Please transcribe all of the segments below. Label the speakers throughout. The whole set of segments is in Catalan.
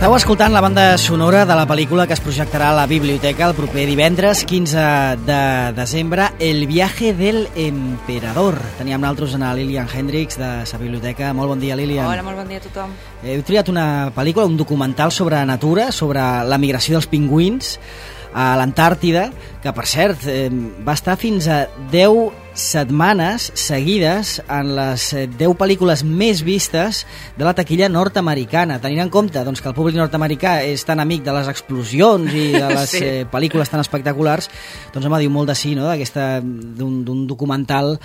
Speaker 1: Esteu escoltant la banda sonora de la pel·lícula que es projectarà a la biblioteca el proper divendres 15 de desembre, El viaje del emperador. Teníem nosaltres a Lilian Hendricks de la biblioteca. Molt bon dia, Lilian.
Speaker 2: Hola, molt bon dia a tothom.
Speaker 1: Heu triat una pel·lícula, un documental sobre natura, sobre la migració dels pingüins a l'Antàrtida, que per cert va estar fins a 10 setmanes seguides en les 10 pel·lícules més vistes de la taquilla nord-americana, tenint en compte doncs, que el públic nord-americà és tan amic de les explosions i de les pel·lícules tan espectaculars, doncs home, diu molt de sí, no? d'un documental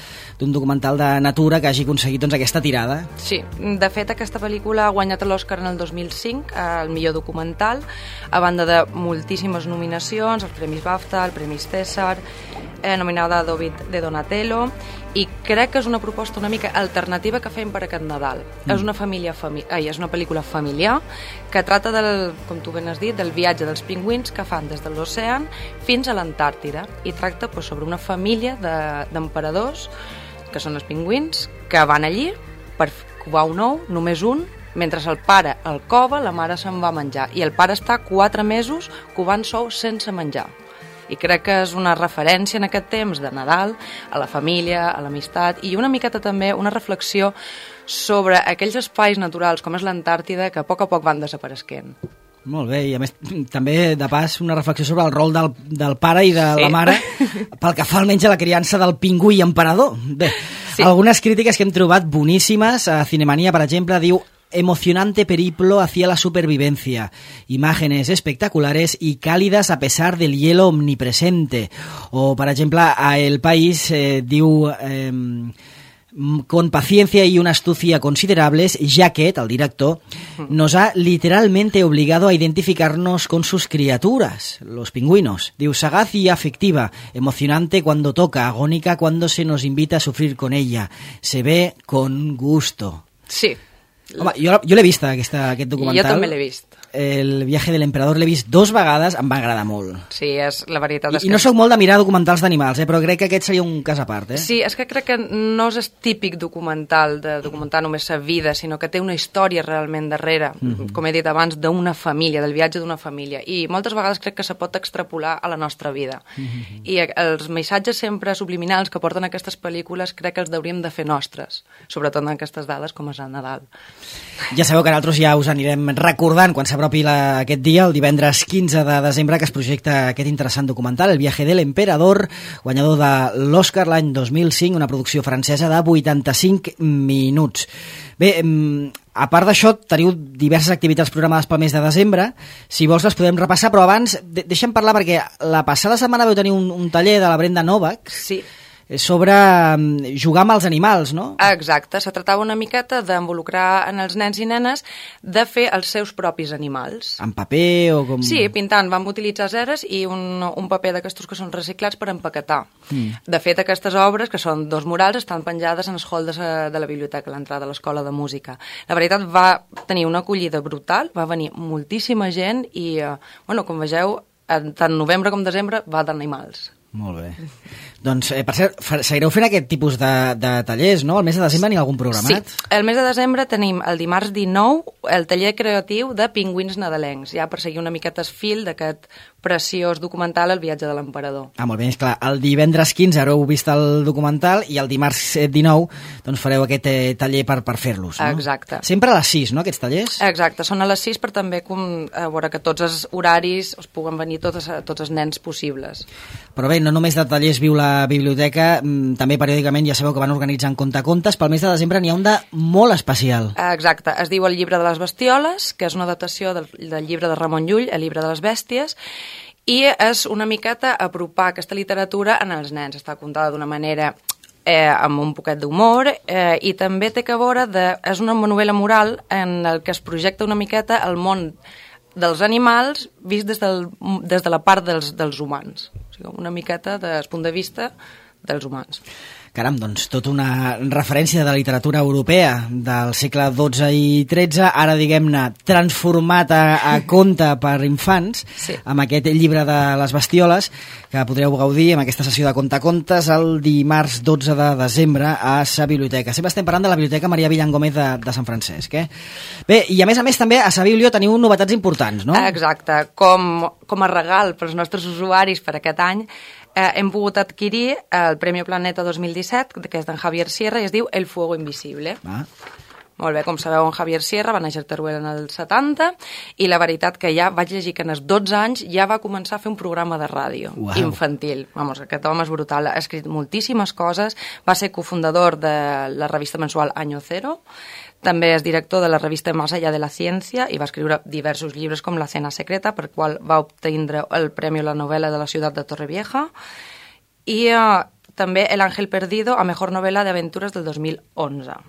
Speaker 1: de natura que hagi aconseguit doncs, aquesta tirada.
Speaker 2: Sí, de fet aquesta pel·lícula ha guanyat l'Oscar en el 2005 al millor documental, a banda de moltíssimes nominacions, els Premis BAFTA, el Premi César, nominada a David de Donatello, i crec que és una proposta una mica alternativa que fem per aquest Nadal. És una pel·lícula familiar que trata com tu ben has dit, del viatge dels pingüins que fan des de l'oceà fins a l'Antàrtida, i tracta sobre una família d'emperadors, que són els pingüins, que van allí per covar un ou, només un, mentre el pare el cova, la mare se'n va a menjar, i el pare està 4 mesos covant sou sense menjar. I crec que és una referència en aquest temps de Nadal a la família, a l'amistat, i una miqueta també una reflexió sobre aquells espais naturals com és l'Antàrtida que a poc van desapareixent.
Speaker 1: Molt bé, i a més també de pas una reflexió sobre el rol del pare i de la mare pel que fa almenys a la criança del pingüí emperador. Bé, algunes crítiques que hem trobat boníssimes, a Cinemania per exemple diu: emocionante periplo hacia la supervivencia, imágenes espectaculares y cálidas a pesar del hielo omnipresente. O, por ejemplo, a El País diu... con paciencia y una astucia considerables, Jacket, el director, nos ha literalmente obligado a identificarnos con sus criaturas, los pingüinos. Diu, sagaz y afectiva, emocionante cuando toca, agónica cuando se nos invita a sufrir con ella. Se ve con gusto.
Speaker 2: Sí.
Speaker 1: Home, jo l'he vist, aquest documental.
Speaker 2: Jo també l'he vist.
Speaker 1: El viaje de l'emperador l'he vist 2 vegades, em va agradar molt.
Speaker 2: Sí, la veritat és que...
Speaker 1: I no sóc molt de mirar documentals d'animals, però crec que aquest seria un cas a part.
Speaker 2: Sí, és que crec que no és típic documental, de documentar només la vida, sinó que té una història realment darrere, com he dit abans, d'una família, del viatge d'una família. I moltes vegades crec que se pot extrapolar a la nostra vida. I els missatges sempre subliminals que porten aquestes pel·lícules crec que els hauríem de fer nostres, sobretot en aquestes dades com és el Nadal.
Speaker 1: Ja sabeu que nosaltres ja us anirem recordant quan s'apropi aquest dia, el divendres 15 de desembre, que es projecta aquest interessant documental, El viaje de l'emperador, guanyador de l'Oscar l'any 2005, una producció francesa de 85 minuts. Bé, a part d'això, teniu diverses activitats programades pel mes de desembre. Si vols les podem repassar, però abans deixa'm parlar, perquè la passada setmana vau tenir un taller de la Brenda Novak.
Speaker 2: Sí.
Speaker 1: Sobre jugar amb els animals, no?
Speaker 2: Exacte, se tractava una miqueta d'involucrar en els nens i nenes de fer els seus propis animals.
Speaker 1: En paper o com...
Speaker 2: Sí, pintant. Vam utilitzar ceres i un paper d'aquestos que són reciclats per empaquetar. De fet, aquestes obres, que són 2 murals, estan penjades en el hall de la biblioteca, a l'entrada de l'Escola de Música. La veritat, va tenir una acollida brutal, va venir moltíssima gent i, com vegeu, tant novembre com desembre va d'animals.
Speaker 1: Molt bé. Doncs, per cert, seguireu fent aquest tipus de tallers, no? El mes de desembre n'hi ha algun programat?
Speaker 2: Sí, el mes de desembre tenim el dimarts 19 el taller creatiu de pingüins nadalencs, ja per seguir una miqueta el fil d'aquest preciós documental El viatge de l'emperador.
Speaker 1: Molt bé, esclar, el divendres 15 haureu vist el documental i el dimarts 19 doncs fareu aquest taller per fer-los, no?
Speaker 2: Exacte.
Speaker 1: Sempre a les 6, no, aquests tallers?
Speaker 2: Exacte, són a les 6 per també veure que tots els horaris es puguen venir tots els nens possibles.
Speaker 1: Però bé, no només de tallers viu la biblioteca, també periòdicament ja sabeu que van organitzant contacontes. Pel mes de desembre n'hi ha un de molt especial.
Speaker 2: Exacte, es diu El llibre de les bestioles, que és una adaptació del llibre de Ramon Llull, El llibre de les bèsties, i és una miqueta apropar aquesta literatura en els nens. Està contada d'una manera amb un poquet d'humor i també té que veure és una novel·la moral en el que es projecta una miqueta el món dels animals vist des de la part dels humans. O sigui, una miqueta des punt de vista dels humans.
Speaker 1: Caram, doncs tota una referència de literatura europea del segle XII i XIII, ara diguem-ne transformat a conte per infants, sí, amb aquest llibre de les bestioles, que podreu gaudir amb aquesta sessió de contacontes el dimarts 12 de desembre a sa biblioteca. Sempre estem parlant de la Biblioteca Maria Villan Gómez de Sant Francesc. Bé, i a més també a sa biblio teniu novetats importants, no?
Speaker 2: Exacte, com a regal pels nostres usuaris per aquest any, hem pogut adquirir el Premi Planeta 2017, que és d'en Javier Sierra, i es diu El fuego invisible. Molt bé, com sabeu, en Javier Sierra va néixer a Teruel en el 70, i la veritat que ja vaig llegir que en els 12 anys ja va començar a fer un programa de ràdio infantil. Vamos, aquest home és brutal, ha escrit moltíssimes coses, va ser cofundador de la revista mensual Año Cero, també és director de la revista Más allá de la ciencia i va escriure diversos llibres com La cena secreta, per qual va obtenir el Premi a la novel·la de la ciutat de Torrevieja, i també El ángel perdido a mejor novel·la d'aventures del 2011.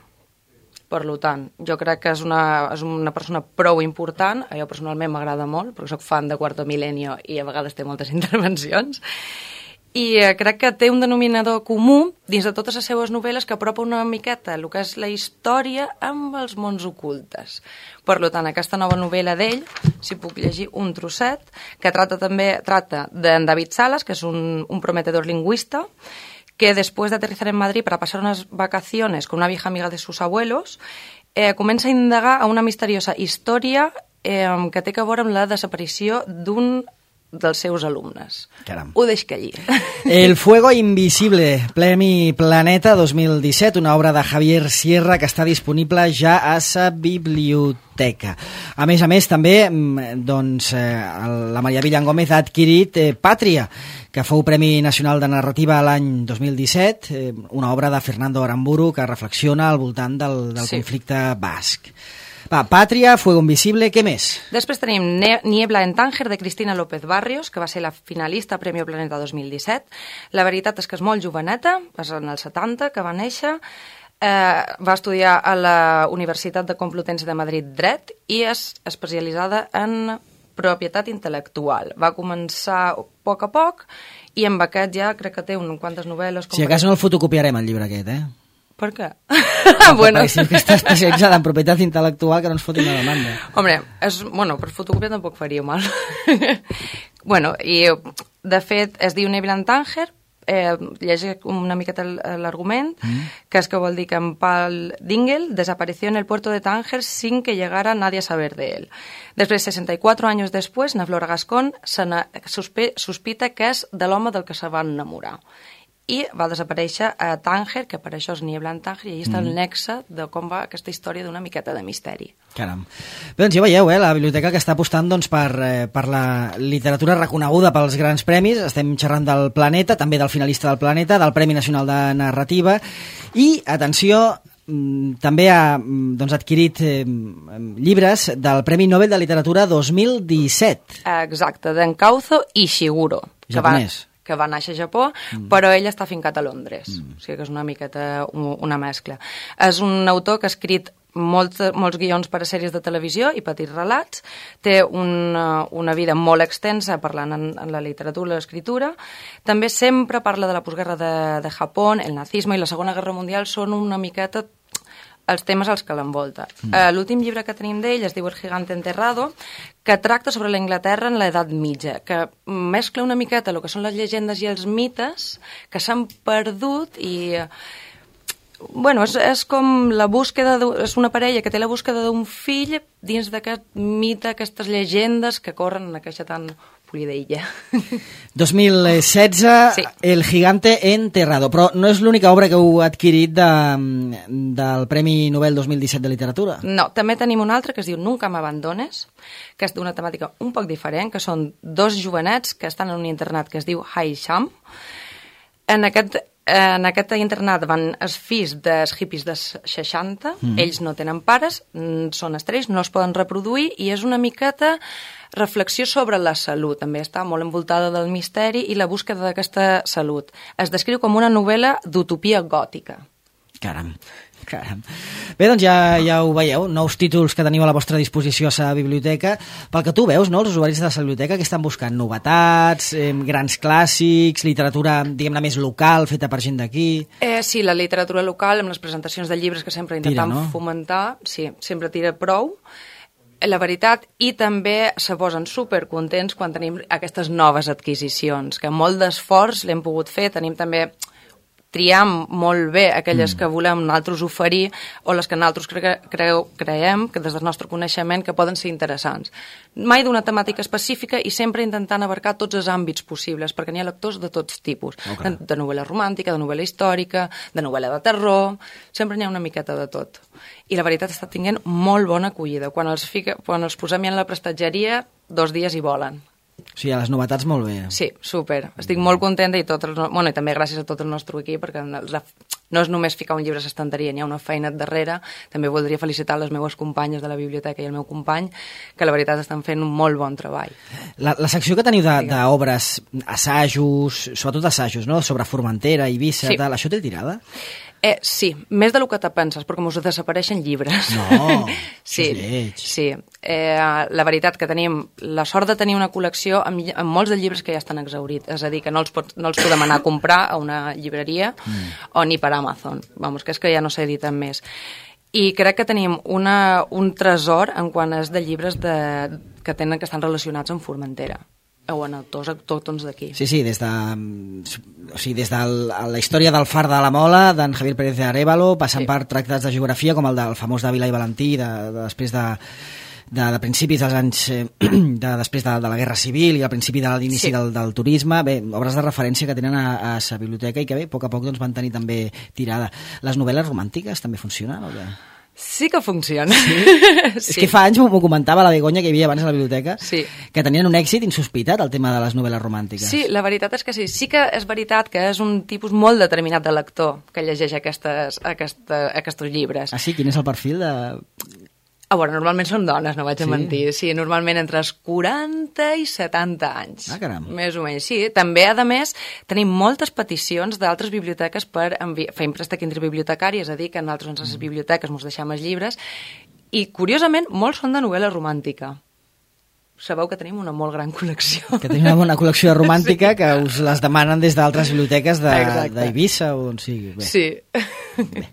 Speaker 2: Per tant, jo crec que és una persona prou important, a jo personalment m'agrada molt, perquè soc fan de Cuarto Milenio i a vegades té moltes intervencions, i crec que té un denominador comú dins de totes les seves novel·les que apropa una miqueta el que és la història amb els mons ocultes. Per tant, aquesta nova novel·la d'ell, si puc llegir un trosset, que trata d'en David Salas, que és un prometedor lingüista, que después de aterrizar en Madrid para pasar unas vacaciones con una vieja amiga de sus abuelos, comença a indagar a una misteriosa història que té a veure amb la desaparició d'un dels seus alumnes.
Speaker 1: Caram.
Speaker 2: Ho deixo allí.
Speaker 1: El fuego invisible, Premi Planeta 2017, una obra de Javier Sierra que està disponible ja a sa biblioteca. A més, també, doncs, la Maria Villan Gómez ha adquirit Pàtria, que fou Premi Nacional de Narrativa l'any 2017, una obra de Fernando Aramburu que reflexiona al voltant del conflicte basc. Va, Pàtria, Fuego Invisible, què més?
Speaker 2: Després tenim Niebla en Tánger, de Cristina López Barrios, que va ser la finalista a Premi Planeta 2017. La veritat és que és molt joveneta, és en el 70 que va néixer, va estudiar a la Universitat de Complutense de Madrid Dret i és especialitzada en propietat intel·lectual. Va començar a poc i amb aquest ja crec que té quantes novel·les...
Speaker 1: Si a cas no el fotocopiarem, el llibre aquest,
Speaker 2: Per què?
Speaker 1: Bueno, si que està especialitzada en propietat intel·lectual, que no ens fotin una demanda.
Speaker 2: Hombre, per fotocopiar tampoc faria mal. I de fet es diu Niebla en Tánger, llegeix una miqueta l'argument, que és que vol dir que en Paul Dingel desapareció en el puerto de Tánger sin que llegara nadie a saber de él. Després, 64 anys després, na Flora Gascón sospita que és de l'home del que se va enamorar. I va desaparèixer a Tánger, que per això és Niebla en Tánger, i allà està el nexe de com va aquesta història d'una miqueta de misteri.
Speaker 1: Caram. Bé, doncs ja veieu, la biblioteca que està apostant per la literatura reconeguda pels grans premis. Estem xerrant del Planeta, també del finalista del Planeta, del Premi Nacional de Narrativa, i, atenció, també ha adquirit llibres del Premi Nobel de Literatura 2017.
Speaker 2: Exacte, d'Encauzo Ishiguro.
Speaker 1: Japonès.
Speaker 2: Que va néixer a Japó, però ell està fincat a Londres. O sigui que és una miqueta una mescla. És un autor que ha escrit molts guions per a sèries de televisió i petits relats. Té una vida molt extensa parlant en la literatura i l'escriptura. També sempre parla de la postguerra de Japó, el nazisme i la Segona Guerra Mundial són una miqueta els temes als que l'envolta. L'últim llibre que tenim d'ell es diu El gigante enterrado, que tracta sobre la Inglaterra en l'edat mitja, que mescla una miqueta el que són les llegendes i els mites que s'han perdut i... Bueno, és com la búsqueda... És una parella que té la búsqueda d'un fill dins d'aquest mite, aquestes llegendes que corren en aquesta tan polida illa.
Speaker 1: 2016, sí. El gigante enterrado. Però no és l'única obra que heu adquirit del Premi Nobel 2017 de Literatura.
Speaker 2: No, també tenim un altre que es diu Nunca m'abandones, que és d'una temàtica un poc diferent, que són dos jovenets que estan en un internat que es diu Haisham. En aquest internat van els fills dels hippies dels 60, ells no tenen pares, són estrells, no es poden reproduir, i és una miqueta reflexió sobre la salut. També està molt envoltada del misteri i la búsqueda d'aquesta salut. Es descriu com una novel·la d'utopia gòtica.
Speaker 1: Caram. Bé, doncs ja ho veieu, nous títols que teniu a la vostra disposició a la biblioteca. Pel que tu veus, no, els usuaris de la biblioteca que estan buscant novetats, grans clàssics, literatura, diguem-ne, més local, feta per gent d'aquí...
Speaker 2: Sí, la literatura local, amb les presentacions de llibres que sempre intentem fomentar, sí, sempre tira prou. La veritat, i també se posen supercontents quan tenim aquestes noves adquisicions, que molt d'esforç l'hem pogut fer, tenim també... triam molt bé aquelles que volem nosaltres oferir o les que nosaltres creiem que des del nostre coneixement que poden ser interessants. Mai d'una temàtica específica i sempre intentant abarcar tots els àmbits possibles, perquè n'hi ha lectors de tots tipus, de novel·la romàntica, de novel·la històrica, de novel·la de terror, sempre n'hi ha una miqueta de tot. I la veritat està tinguent molt bona acollida. Quan els posem ja en la prestatgeria, 2 dies hi volen.
Speaker 1: O sigui, a les novetats molt bé.
Speaker 2: Sí, super. Estic molt contenta i també gràcies a tot el nostre equip, perquè no és només ficar un llibre a l'estanteria, n'hi ha una feina darrere. També voldria felicitar les meves companyes de la biblioteca i el meu company, que la veritat estan fent un molt bon treball.
Speaker 1: La secció que teniu d'obres, assajos, sobretot assajos, no?, sobre Formentera, Eivissa, tal, això té tirada?
Speaker 2: Sí, més del que te penses, perquè us desapareixen llibres.
Speaker 1: No,
Speaker 2: sí, sí. La veritat que tenim la sort de tenir una col·lecció amb molts de llibres que ja estan exhaurits, és a dir, que no els podem anar a comprar a una llibreria o ni per Amazon. Vamos, que és que ja no s'editen més. I crec que tenim un tresor en quant és de llibres que estan relacionats amb Formentera o en autors autòctons d'aquí.
Speaker 1: Sí, des de la història del Far de la Mola, d'en Javier Pérez de Arévalo, passant per tractats de geografia com el del famós d'Àvila i Valentí, després de principis dels anys després de la Guerra Civil i al principi de l'inici del turisme. Bé, obres de referència que tenen a la biblioteca i que bé, a poc doncs, van tenir també tirada. Les novel·les romàntiques també funcionen o què?
Speaker 2: Sí que funciona.
Speaker 1: Sí? És que fa anys m'ho comentava la Begoña, que hi havia abans a la biblioteca, que tenien un èxit insospitat el tema de les novel·les romàntiques.
Speaker 2: Sí, la veritat és que sí. Sí que és veritat que és un tipus molt determinat de lector que llegeix aquests llibres.
Speaker 1: Ah, sí? Quin és el perfil de...
Speaker 2: A veure, normalment són dones, no vaig a mentir. Sí, normalment entre els 40 i 70 anys.
Speaker 1: Ah, caram.
Speaker 2: Més o menys, sí. També, a més, tenim moltes peticions d'altres biblioteques per fer préstec interbibliotecari, és a dir, que nosaltres en les biblioteques ens deixem els llibres, i, curiosament, molts són de novel·la romàntica. Sabeu que tenim una molt gran col·lecció. Que
Speaker 1: tenim una bona col·lecció de romàntica que us les demanen des d'altres biblioteques d'Eivissa o on sigui. Bé.
Speaker 2: Sí.
Speaker 1: Bé.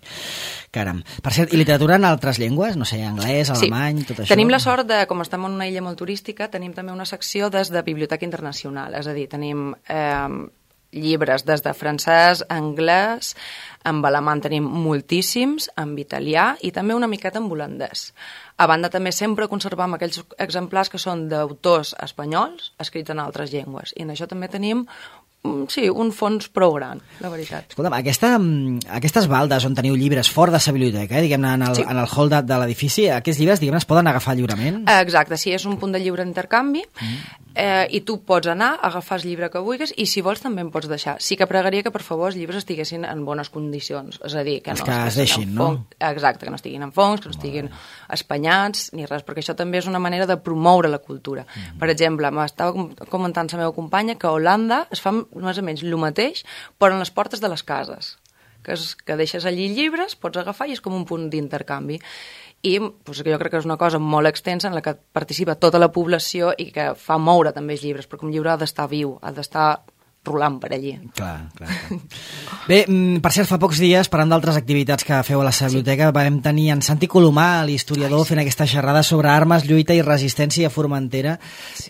Speaker 1: Caram. Per cert, i literatura en altres llengües? No sé, anglès, alemany, tot això?
Speaker 2: Tenim la sort de, com estem en una illa molt turística, tenim també una secció des de Biblioteca Internacional, és a dir, tenim llibres des de francès, anglès, en alemany tenim moltíssims, en italià i també una miqueta en holandès. A banda, també sempre conservam aquells exemplars que són d'autors espanyols escrits en altres llengües. I en això també tenim un fons prou gran, la veritat.
Speaker 1: Escolta'm, aquestes baldes on teniu llibres fora de la biblioteca, diguem-ne, en el hall de l'edifici, aquests llibres, diguem-ne, es poden agafar lliurement?
Speaker 2: Exacte, sí, és un punt de lliure intercanvi i tu pots anar, agafar el llibre que vulguis i si vols també en pots deixar. Sí que pregaria que per favor els llibres estiguessin en bones condicions, és a dir, que no
Speaker 1: es deixin, no?
Speaker 2: Exacte, que no estiguin en fongs, que no estiguin espanyats ni res, perquè això també és una manera de promoure la cultura. Per exemple, m'estava comentant la meva companya que a Holanda es fa més o menys el mateix, però en les portes de les cases. Que deixes allí llibres, pots agafar i és com un punt d'intercanvi. I doncs, jo crec que és una cosa molt extensa en la que participa tota la població i que fa moure també els llibres, perquè un llibre ha d'estar viu, ha d'estar rolant per allí.
Speaker 1: Clar. Bé, per cert, fa pocs dies, parlant d'altres activitats que feu a la biblioteca, vam tenir en Santi Colomà, l'historiador, fent aquesta xerrada sobre armes, lluita i resistència a Formentera.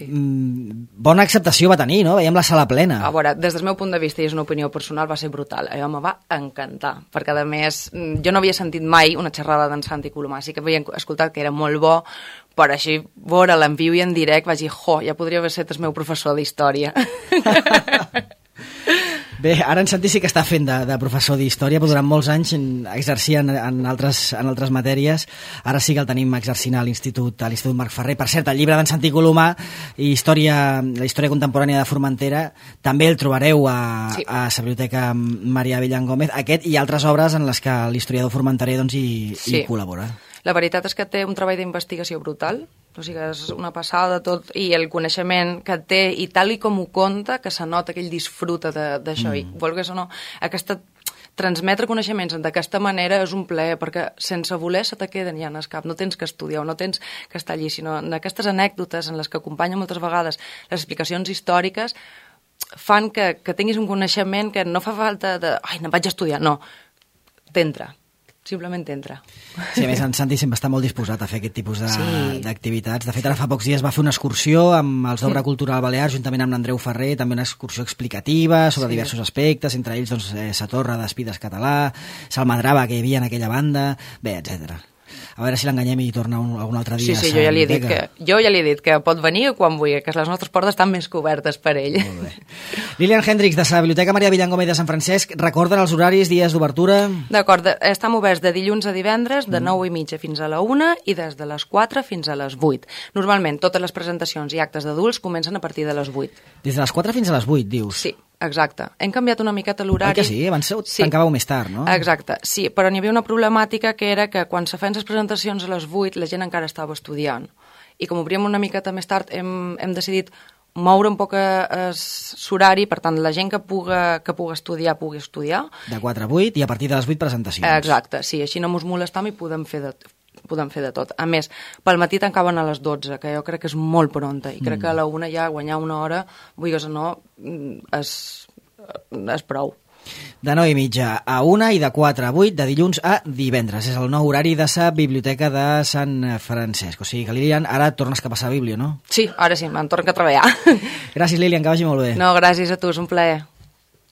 Speaker 1: Bona acceptació va tenir, no? Veiem la sala plena.
Speaker 2: A veure, des del meu punt de vista, i és una opinió personal, va ser brutal. Allò em va encantar, perquè a més jo no havia sentit mai una xerrada d'en Santi Colomà, sí que havia escoltat que era molt bo, però així veure-la en viu i en directe vaig dir, ja podria haver estat el meu professor d'història.
Speaker 1: Bé, ara en Santi sí que està fent de professor d'història, però durant molts anys exercia en altres matèries. Ara sí que el tenim exercint a l'Institut Marc Ferrer. Per cert, el llibre d'en Santi Colomà, la història contemporània de Formentera, també el trobareu a la Biblioteca Maria Avellán Gómez. Aquest i altres obres en les que l'historiador formenterer hi col·labora.
Speaker 2: La veritat és que té un treball d'investigació brutal, o sigui, és una passada tot, i el coneixement que té, i tal i com ho conta, que se nota que ell disfruta d'això, i volgués o no, aquesta transmetre coneixements d'aquesta manera és un plaer, perquè sense voler se te queden ja en el cap, no tens que estudiar, no tens que estar allí, sinó en aquestes anècdotes en les que acompanyen moltes vegades les explicacions històriques, fan que tinguis un coneixement que no fa falta de, ai, no vaig a estudiar, no, t'entra. Simplement entra.
Speaker 1: Sí, a més, en Santi sempre està molt disposat a fer aquest tipus d'activitats. De fet, ara fa pocs dies va fer una excursió amb els d'Obra Cultural Balear, juntament amb l'Andreu Ferrer, també una excursió explicativa sobre diversos aspectes, entre ells Satorra d'Espides Català, Salmadrava, que hi havia en aquella banda, bé, etc. A veure si l'enganyem i torna algun altre dia.
Speaker 2: Sí, jo ja li he dit que pot venir quan vulgui, que les nostres portes estan més cobertes per ell.
Speaker 1: Molt bé. Lilian Hendricks, de la Biblioteca Maria Villangómez de Sant Francesc, recorden els horaris, dies d'obertura?
Speaker 2: D'acord, estem oberts de dilluns a divendres, de 9:30 fins a la 1 i des de les 4 fins a les 8. Normalment, totes les presentacions i actes d'adults comencen a partir de les 8.
Speaker 1: Des de les 4 fins a les 8, dius?
Speaker 2: Sí. Exacte. Hem canviat una miqueta l'horari.
Speaker 1: Oi que sí? Abans tancàveu més tard, no?
Speaker 2: Exacte, sí, però n'hi havia una problemàtica que era que quan se feien les presentacions a les 8 la gent encara estava estudiant. I com obríem una miqueta més tard hem decidit moure un poc l'horari, per tant, la gent que puga estudiar, pugui estudiar.
Speaker 1: De 4 a 8 i a partir de les 8 presentacions.
Speaker 2: Exacte, sí, així no mos molestam i podem fer de tot. A més, pel matí tancaven a les 12, que jo crec que és molt pronta, i crec que a la 1 ja guanyar una hora, vulguis o no, és prou.
Speaker 1: De 9:30 a 1 i de 4 a 8, de dilluns a divendres. És el nou horari de la Biblioteca de Sant Francesc. O sigui que, Lilian, ara tornes cap a la Bíblia, no?
Speaker 2: Sí, ara sí, me'n torno a treballar.
Speaker 1: Gràcies, Lilian, que vagi molt bé.
Speaker 2: No, gràcies a tu, és un plaer.